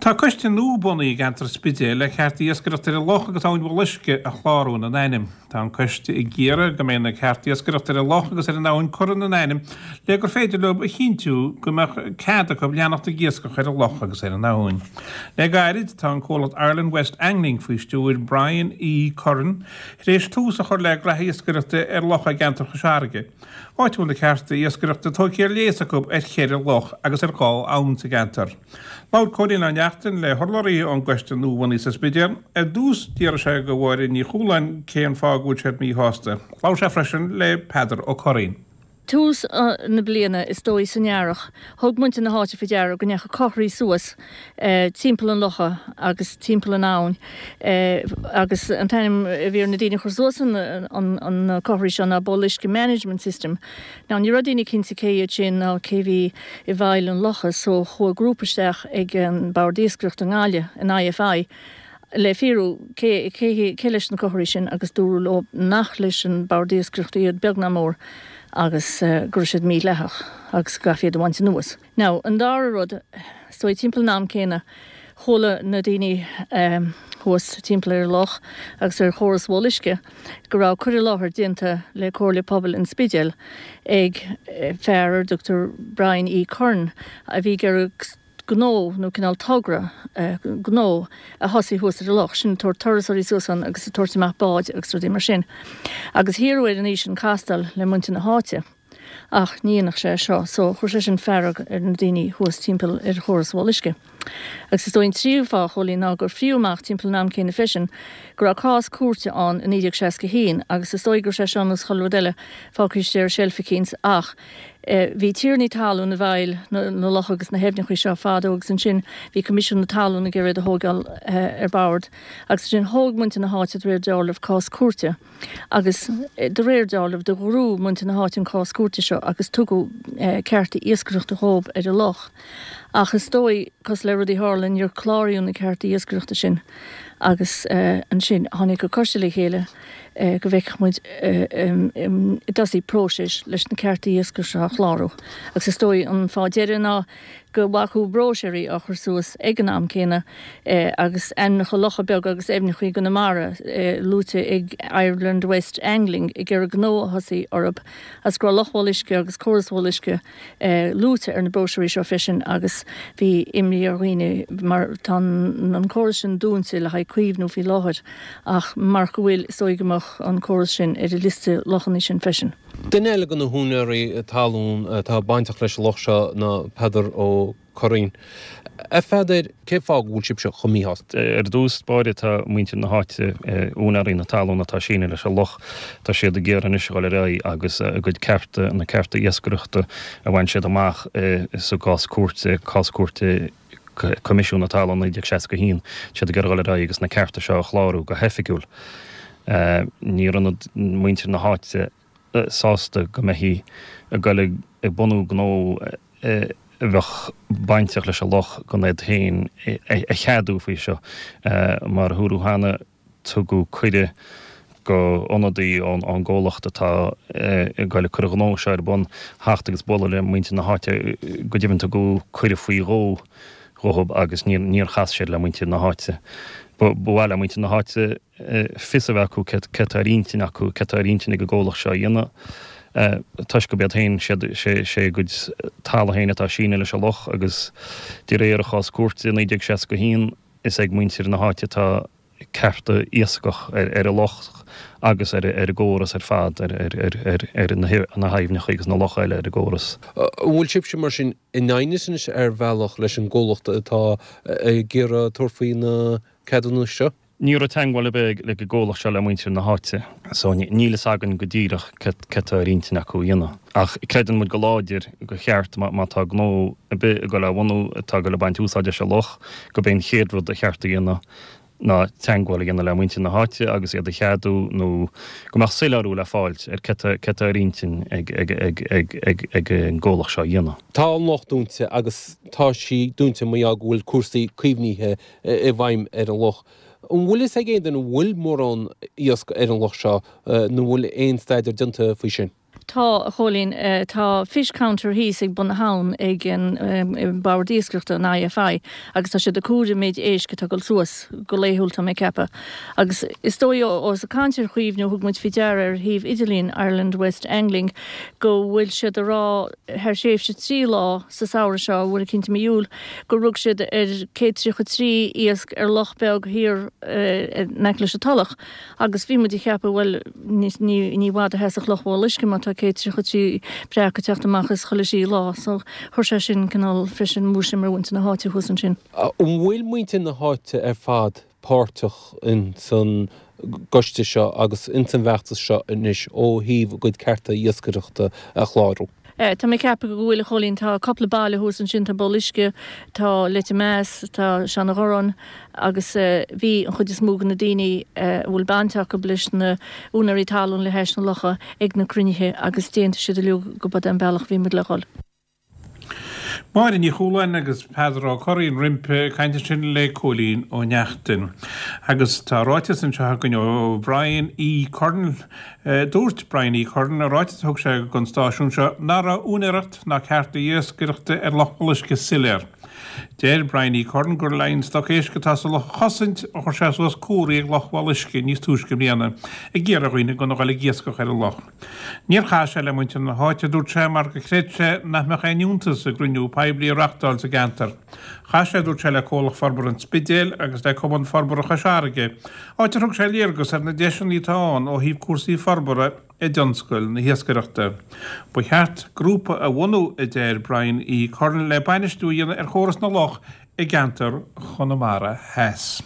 Tá coiste nua bunaithe i gceantar Spidéil le cearta iascaireachta ar an loch agus abhainn Bhéal Uisce a chlárú ina n-ainm. Tá an coiste ag iarraidh go mbeidh na cearta iascaireachta ar an loch agus ar an abhainn curtha ina n-ainm le gur féidir leo a chinntiú go mbeadh cead acu leanacht ag iascach ar an loch agus ar an abhainn. Le gairid, tá an comhlacht Ireland West Angling faoi stiúir Brian E. Curran tar éis tús a chur le graithe iascaireachta ar locha i gceantar Chois Fharraige, áit a bhfuil na cearta iascaireachta tógtha ar léas acu ar cheithre loch agus ar dhá abhainn sa gceantar. Labhair Cóilín Ó Neachtain le hurlabhraí ón gcoiste nuabhunaithe sa Spidéal. Ar dtús, d'fhiafraigh sé de Mháire Ní Chualáin cén fáth go bhfuil siad míshásta. Labhair sé freisin le Peadar Ó Curraoin. Tús na bliana, is dóigh san earrach, thug muintir na háite faoi deara go ndeachaigh cothraí suas timpeall an locha agus timpeall an abhainn agus an t-ainm a bhí ar na daoine a chuir suas na cothraí seo ná Bol Uisce Management System. Now ní raibh daoine cinnte cé iad sin ná cé bhí i bhfeighil an locha so chuaigh grúpa isteach ag an Bord Iascaireachta i nGaillimh, an IFI, le fíorú cé cé leis na cothraí sin agus dúradh leo nach leis an Bord Iascaireachta iad beag ná mór agus go raibh siad mídhleathach agus go gcaithfí iad a bhaint anuas. Now, an dara rud, is dóigh timpeall an am céanna, chuala na daoine thuas timpeall ar an loch agus ar chóras Bhol Uisce go raibh cur i láthair déanta le Comhairle Pobail an Spidéil ag fear ar a dtugtar Brian E. Curran a bhí ag iarraidh gnó nó cineál togra gnó a thosaí thuas ar an loch sin, ag tabhairt turasóirí suas ann agus ag tabhairt amach báid agus rudaí mar sin. Agus hiarradh air an oíche sin castáil le muintir na háite ach ní dhéanfadh sé seo so chuir sé sin fearg ar na daoine thuas timpeall ar chóras Bhol Uisce. Agus is dóigh an tríú fáth, a Chóilín, ná gur fríodh amach timpeall an am céanna freisin go raibh cás cúirte ann i 1961 agus is dóigh go raibh sé seo ar nós chuile rud eile fágtha istigh ar seilf eicínt ach Bhí tiarnaí talún i bhfeighil na locha agus na haibhneacha seo fadó agus ansin bhí Coimisiún na Talún ag iarraidh iad a thóigeáil ar bord agus ansin thóg muintir na háite de réir dealraimh cás cúirte agus de réir dealraimh do ghnóthaigh muintir na háite an cás cúirte seo agus tugadh cearta iascaireachta dhóibh ar an loch ach is dóigh cosúil le rudaí a tharla níor cláraíodh na cearta iascaireachta sin agus ansin tháinig an coiste le chéile go bhfeicfeadh muid i dtosaigh próiseas leis na cearta iascaigh seo a chlárú. Agus is dóigh an fáth deiridh ná go bhfacthas bróiséirí á chur suas ag an am céanna agus ainmneacha locha beaga agus aibhneacha i gConamara luaite ag Ireland West Angling ag iarraidh gnó a thosaí orthu agus go raibh Loch Bhol Uisce agus córas Bhol Uisce luaite ar na bróisiúirí seo freisin agus bhí imní ar dhaoine mar tá an córas sin dúnta le haghaidh caomhnú faoi láthair ach marach go bhfuil, is dóigh go mbeadh an córas sin ar an liosta lochanna sin freisin. Duine eile de na húinéirí talún atá bainteach leis an loch seo ná Peadar Ó Curraoin. A Pheadair, cén fáth go bhfuil sibhse chomh míshásta? Ar dtús báire tá muintir na háite, úinéirí na talún atá sínithe leis an loch, tá siad ag iarraidh anois a dhul ar aghaidh agus a gcuid cearta, na cearta iascaireachta a bhain siad amach sa gcás cúirte, cás cúirte Coimisiún na Talún 1961, tá siad ag iarraidh a dhul ar aghaidh agus na cearta seo a chlárú go hoifigiúil. Ní raibh muintir na háite sásta go mbeifí ag dul ag bunú gnó a bheadh bainteach leis an loch gan iad féin a cheadú faoi seo. Mar a dúradh cheana, tugadh cuireadh go ionadaí ón gcomhlacht atá ag dul ag cur an ghnó seo ar bun theacht agus bualadh le muintir na háite. Go deimhin tugadh cuireadh faoi dhó dhóibh agus níor chas siad le muintir na háite. Ba mhaith le muintir na háite fios a bheith acu céard atá ar intinn acu, céard atá ar intinn ag an gcomhlacht seo a dhéanamh, toisc gurb iad féin, sé a gcuid talamh féin atá sínithe leis an loch agus de réir an chás cúirte i 1961 is ag muintir na háite atá cearta iascach ar an loch agus ar an gcóras ar fad, ar na haibhneacha agus na locha eile ar an gcóras. An bhfuil sibhse mar sin in aighneas anois ar bhealach leis an gcomhlacht atá ag iarraidh tabhairt faoi na ceadúnais seo? Ní raibh teagmháil ar bith ag an gcomhlacht seo le muintir na háite so níl fhios againn go díreach céard atá ar intinn acu a dhéanamh. Ach creideann muid go láidir gur cheart má tá gnó ar bith ag dul á bhunú atá ag dul ag baint úsáid as an loch gurb é an chéad rud a cheart a dhéanamh ná teagmháil a dhéanamh le muintir na háite agus iad a cheadú nó go mbeadh soiléiriú le fáilt ar céard atá ar intinn ag an gcomhlacht seo a dhéanamh. Tá an loch dúnta agus tá sí dúnta mar gheall go bhfuil cúrsaí caomhnaithe i bhfeidhm ar an loch. An bhfuil fhios ag aon duine an bhfuil mórán iasc ar an loch seo nó an bhfuil aon staidéar déanta faoi sin? Tá, a Chóilín. Tá fish counter thíos ag bun na habhann ag an Bord Iascaireachta, an IFI, agus tá siad ag comhaireamh an méid éisc atá ag dul suas go laethúil, tá mé ag ceapadh. Agus is dóigh ós ag caint ar chaomhnú, thug muid faoi deara ar shuíomh idirlín Ireland West Angling go bhfuil siad ag rá thar thréimhse 3 lá sa samhradh seo, uair eicínt i mí Iúil, gur rug siad ar 133 iasc ar loch beag thiar in aice leis an Tulach. Agus bhí muid ag ceapadh, bhuel, ní, ní i bhfad a sheasfadh Loch Bhéal Uisce má tá 133 breac ag teacht amach as chuile thrí lá. So, chuir sé sin cineál freisin múisiam ar mhuintir na háite thuas ansin. An bhfuil muintir na háite ar fad páirteach ins an gcoiste seo agus ins an bhfeachtas seo anois ó thaobh a gcuid cearta iascaireachta a chlárú? Tá mé ag ceapadh go bhfuil, a Chóilín. Tá cúpla baile thuas ansin, tá Béal Uisce, tá Leitir Meas, tá Seanadh Ghorráin agus bhí an chuid is mó de na daoine a bhfuil baint acu leis na úinéirí talún le hais na locha ag na cruinnithe agus d'aontaigh siad uilig go b'é an bealach a bhí muid le dhul. Máire Ní Chualáin agus Peadar Ó Curraoin roimpi ag caint ansin le Cóilín Ó Neachtain. Agus tá ráiteas anseo againn ó Brian E. Curran. Dúirt Brian E. Curran i ráiteas a thug sé don stáisiún seo nach raibh úinéireacht ná cearta iascaireachta ar Loch Bhéal Uisce soiléir. Deir Brian E. Curran gur le an stoc éisc atá sa loch a chosaint a chuir sé suas comharthaí ag Loch Bhéal Uisce níos túisce i mbliana ag iarraidh ar dhaoine gan a dhul ag iascach ar an loch. Níor chas sé le muintir na háite, a dúirt sé, mar gur chreid sé nach mbeadh aon fhiúntas i gcruinniú poiblí a reachtáil sa gceantar. Chas sé, a dúirt sé, le Comhlacht Forbartha an Spidéil agus le Cumann Forbartha Chois Fharraige, áit ar thug sé léargas ar na deiseanna atá ann ó thaobh cúrsaí forbartha i dtionscal na hiascaireachta. Ba cheart grúpa a bhunú, a deir Brian E. Curran, le bainistiú a dhéanamh ar chóras na loch i gceantar Chonamara Theas.